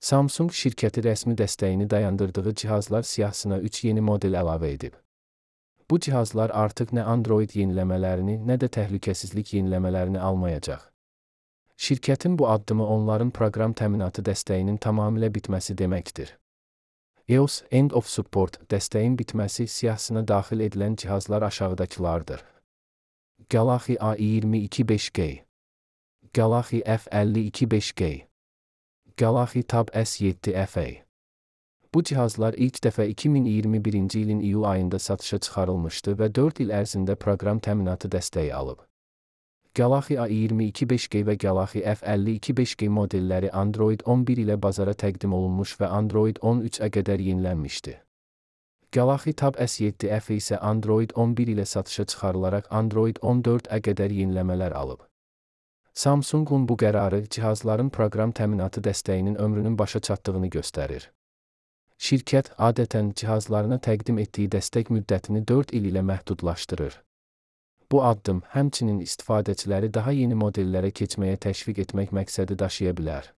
Samsung şirkəti rəsmi dəstəyini dayandırdığı cihazlar siyahısına 3 yeni model əlavə edib. Bu cihazlar artıq nə Android yeniləmələrini, nə də təhlükəsizlik yeniləmələrini almayacaq. Şirkətin bu addımı onların proqram təminatı dəstəyinin tamamilə bitməsi deməkdir. EOS End of Support dəstəyin bitməsi siyahısına daxil edilən cihazlar aşağıdakılardır. Galaxy A22 5G, Galaxy F52 5G, Galaxy Tab S7 FE. Bu cihazlar ilk dəfə 2021-ci ilin iyul ayında satışa çıxarılmışdı və 4 il ərzində proqram təminatı dəstəyi alıb. Galaxy A22 5G və Galaxy F52 5G modelləri Android 11 ilə bazara təqdim olunmuş və Android 13-ə qədər yenilənmişdi. Galaxy Tab S7 FE isə Android 11 ilə satışa çıxarılaraq Android 14-ə qədər yeniləmələr alıb. Samsungun bu qərarı cihazların proqram təminatı dəstəyinin ömrünün başa çatdığını göstərir. Şirkət adətən cihazlarına təqdim etdiyi dəstək müddətini 4 il ilə məhdudlaşdırır. Bu addım həmçinin istifadəçiləri daha yeni modellərə keçməyə təşviq etmək məqsədi daşıya bilər.